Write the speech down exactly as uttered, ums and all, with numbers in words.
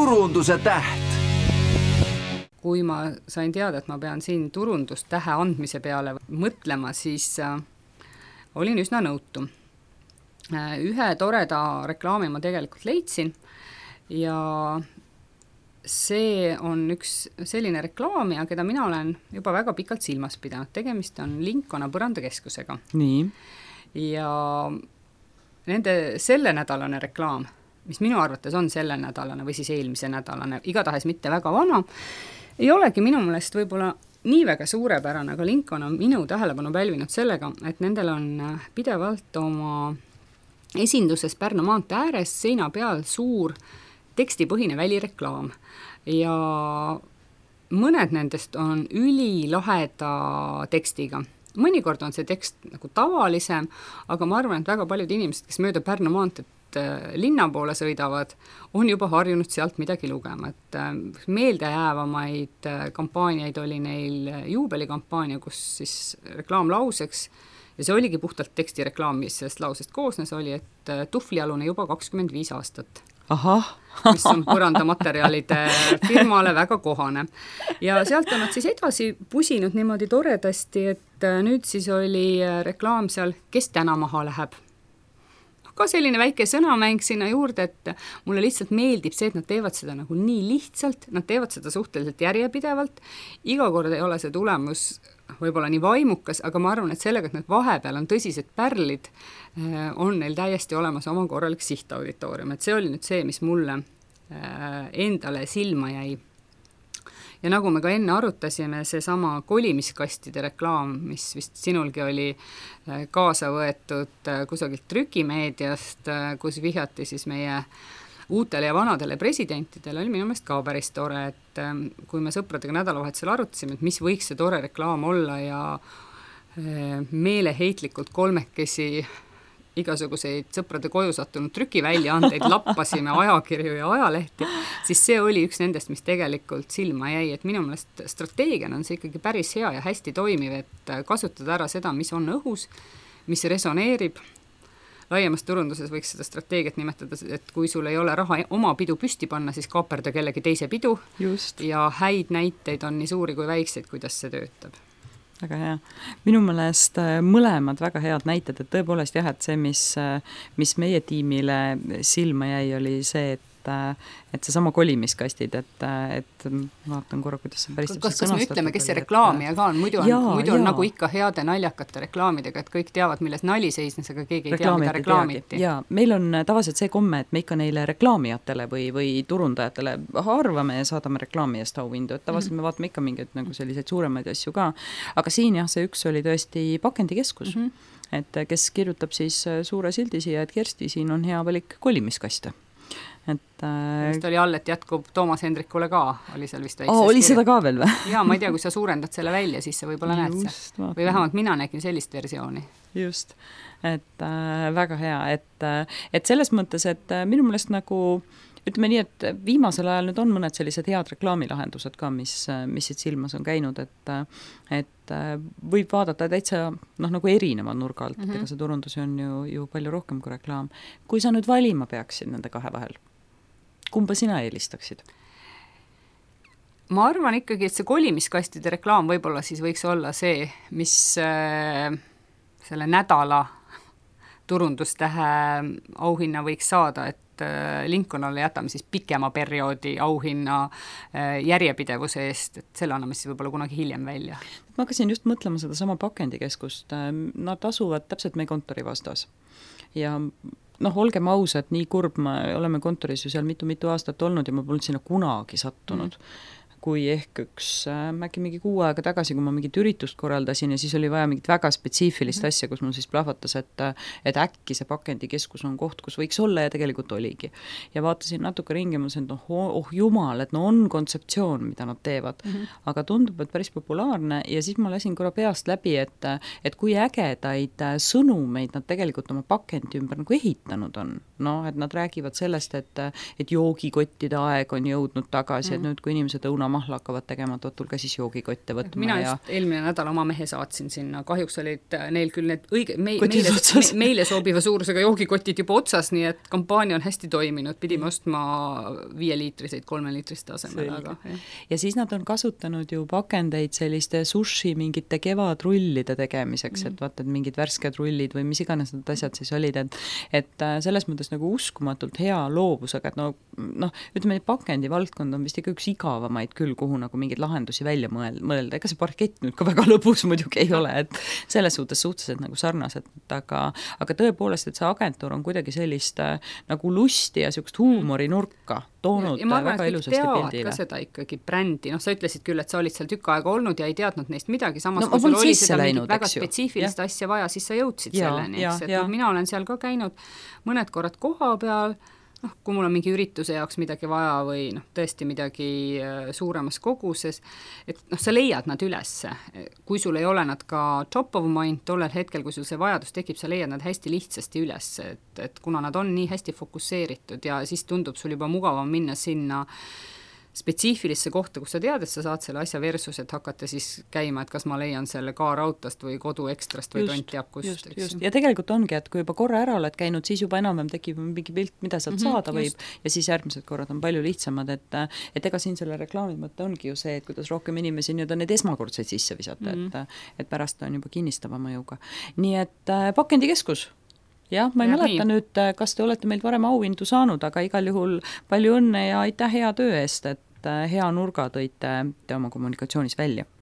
turunduse täht. Kui ma sain teada, et ma pean siin turundustähe andmise peale mõtlema, siis äh, olin üsna nõutu. Äh, ühe toreda reklaami ma tegelikult leidsin ja see on üks selline reklaamija, keda mina olen juba väga pikalt silmas pidanud. Tegemist on Lincona põrandakeskusega. Nii. Ja nende selle nädalane reklaam, mis minu arvates on selle nädalane või siis eelmise nädalane, igatahes mitte väga vana, ei olegi minu meelest võib-olla nii väga suurepärane, aga Lincon on minu tähelepanu pälvinud sellega, et nendel on pidevalt oma esinduses Pärnu maantee ääres seina peal suur tekstipõhine välireklaam ja mõned nendest on ülilaheda tekstiga. Mõnikord on see tekst nagu tavalisem, aga ma arvan, et väga paljud inimesed, kes mööda Pärnu maanteed linna poole sõidavad, on juba harjunud sealt midagi lugema. Et meeldejäävamaid kampaaniaid oli neil juubelikampaania, kus siis reklaamlauseks, ja see oligi puhtalt tekstireklaam, mis sellest lausest koosnes, oli, et tuhvlialune juba kakskümmend viis aastat. Aha. mis on põrandamaterjalide firmale väga kohane. Ja sealt on nad siis edasi pusinud niimoodi toredasti, et nüüd siis oli reklaam seal, kes täna maha läheb. Ka selline väike sõnamäng sinna juurde, et mulle lihtsalt meeldib see, et nad teevad seda nagu nii lihtsalt, nad teevad seda suhteliselt järjepidevalt, iga kord ei ole see tulemus võib-olla nii vaimukas, aga ma arvan, et sellega, et need vahepeal on tõsised pärlid, on neil täiesti olemas oma korralik sihtauditoorium, et see oli nüüd see, mis mulle endale silma jäi. Ja nagu me ka enne arutasime, see sama kolimiskastide reklaam, mis vist sinulgi oli kaasa võetud kusagilt trükimeediast, kus vihjati siis meie uutele ja vanadele presidentidele, oli minu meelest ka päris tore, et kui me sõpradega nädalavahetusel arutasime, et mis võiks see tore reklaam olla ja meeleheitlikult kolmekesi igasuguseid sõprade koju sattunud trükiväljaandeid lappasime ajakirju ja ajalehti, siis see oli üks nendest, mis tegelikult silma jäi, et minu meelest strateegian on see ikkagi päris hea ja hästi toimiv, et kasutada ära seda, mis on õhus, mis resoneerib. Laiemas turunduses võiks seda strateegiat nimetada, et kui sul ei ole raha oma pidu püsti panna, siis kaaperda kellegi teise pidu. Just. Ja häid näiteid on nii suuri kui väikseid, kuidas see töötab. Väga hea. Minu meelest mõlemad väga head näited, et tõepoolest jah, et see, mis, mis meie tiimile silma jäi, oli see, et et see sama kolimiskastid, et, et vaatan korra, kuidas see päris kas, kas me ütleme, kes see reklaamija ka on, muidu on, jaa, muidu on nagu ikka heade naljakate reklaamidega, et kõik teavad, milles nali seisnes, aga keegi ei tea, mida reklaamiti. Jaa, meil on tavaliselt see komme, et me ikka neile reklaamijatele või, või turundajatele arvame ja saadame reklaami eest auhindu, et tavaliselt mm-hmm. me vaatame ikka mingeid nagu selliseid suuremaid asju ka, aga siin jah, see üks oli tõesti pakendikeskus, mm-hmm. et kes kirjutab siis suure sildi siia, et Kersti, siin on hea valik kolimiskaste. Et, äh... Just oli all, et jätkub Toomas Hendrikule ka, oli seal vist väikses oh, oli kirja. Seda ka veel või? Jaa, ma ei tea, kui sa suurendad selle välja, siis sa võib-olla näed see. Või vähemalt mina nägin sellist versiooni. Just, et äh, väga hea, et, et selles mõttes, et minu meelest nagu ütleme nii, et viimasel ajal nüüd on mõned sellised head reklaamilahendused ka, mis, mis siit silmas on käinud, et, et võib vaadata täitsa noh, nagu erineva nurga alt, mm-hmm. ega see turundus on ju, ju palju rohkem kui reklaam. Kui sa nüüd valima peaksid nende kahe vahel, kumba sina eelistaksid? Ma arvan ikkagi, et see kolimiskastide reklaam võib-olla siis võiks olla see, mis äh, selle nädala turundustähe auhinna võiks saada, et Lincolnale jätame siis pikema perioodi auhinna järjepidevuse eest, et selle anname siis võib-olla kunagi hiljem välja. Ma hakkasin just mõtlema seda sama pakendikeskust. Nad asuvad täpselt meie kontori vastas. Ja noh, olgem ausad, nii kurb, me oleme kontoris ju seal mitu-mitu aastat olnud ja ma polnud sinna kunagi sattunud. Mm. Kui ehk üks äkki mingi kuu aega tagasi, kui ma mingit üritust korraldasin ja siis oli vaja mingit väga spetsiifilist mm-hmm. asja, kus mul siis plahvatas, et, et äkki see pakendikeskus on koht, kus võiks olla ja tegelikult oligi. Ja vaatasin natuke ringi, ma sain, et oh, oh jumal, et no on kontseptsioon, mida nad teevad, mm-hmm. aga tundub, et päris populaarne ja siis ma lasin korra peast läbi, et, et kui ägedaid sõnumeid nad tegelikult oma pakendi ümber nagu ehitanud on. No, et nad räägivad sellest, et, et joogikottide aeg on jõudnud tagasi, mm-hmm. et nüüd, kui inimesed õuna munamahla hakkavad tegema, et otul ka siis joogikotte võtma. Mina ja... just eelmine nädal oma mehe saatsin sinna, kahjuks olid neil küll need õige, me, meile, me, meile sobiva suurusega joogikotid juba otsas, nii et kampaania on hästi toiminud, pidime ostma viieliitriseid, kolmeliitriste asemel. Aga, ja siis nad on kasutanud ju pakendeid selliste sushi mingite kevadrullide tegemiseks, mm. et vaata, et mingid värsked rullid või mis iganes need asjad siis olid, et, et selles mõttes nagu uskumatult hea loovusega, et no, noh, ütleme, pakendi valdkond on vist ikka üks igavamaid küll, kuhu nagu mingeid lahendusi välja mõelda, ega see parkett nüüd ka väga lõbus muidugi ei ole, et selles suhtes suhteliselt nagu sarnased, aga, aga tõepoolest, et see agentuur on kuidagi sellist nagu lusti ja sellist huumorinurka toonud ja, ja arvan, väga ilusasti pildile. Ka seda ikkagi brändi, noh sa ütlesid küll, et sa olid seal tükk aega olnud ja ei teadnud neist midagi, samas no, kui sul oli seda läinud, väga spetsiifilist ja. asja vaja, siis sa jõudsid ja, selleni, ja, eks, et ja. no, mina olen seal ka käinud mõned korrad koha peal, noh, kui mul on mingi ürituse jaoks midagi vaja või noh, tõesti midagi suuremas koguses, et noh, sa leiad nad üles. Kui sul ei ole nad ka top of mind tollel hetkel, kui sul see vajadus tekib, sa leiad nad hästi lihtsasti üles, et, et kuna nad on nii hästi fokusseeritud ja siis tundub sul juba mugavam minna sinna spetsiifilisse kohta, kus sa tead, et sa saad selle asja versus, et hakata siis käima, et kas ma leian selle kaarautast või kodu ekstrast või tont teab kust. Just, just. Ja tegelikult ongi, et kui juba korra ära oled käinud, siis juba enam tekib mingi pilt, mida sealt mm-hmm, saada võib just. Ja siis järgmised korrad on palju lihtsamad, et, et ega siin selle reklaami mõte ongi ju see, et kuidas rohkem inimesi nüüd on need esmakordseid sisse visata, mm-hmm. et, et pärast on juba kinnistava mõjuga. Nii et äh, pakendikeskus. Jah, ma ei ja mäleta nii. Nüüd, kas te olete meilt varem auhindu saanud, aga igal juhul palju õnne ja aitäh hea töö eest, et hea nurga tõite te oma kommunikatsioonis välja.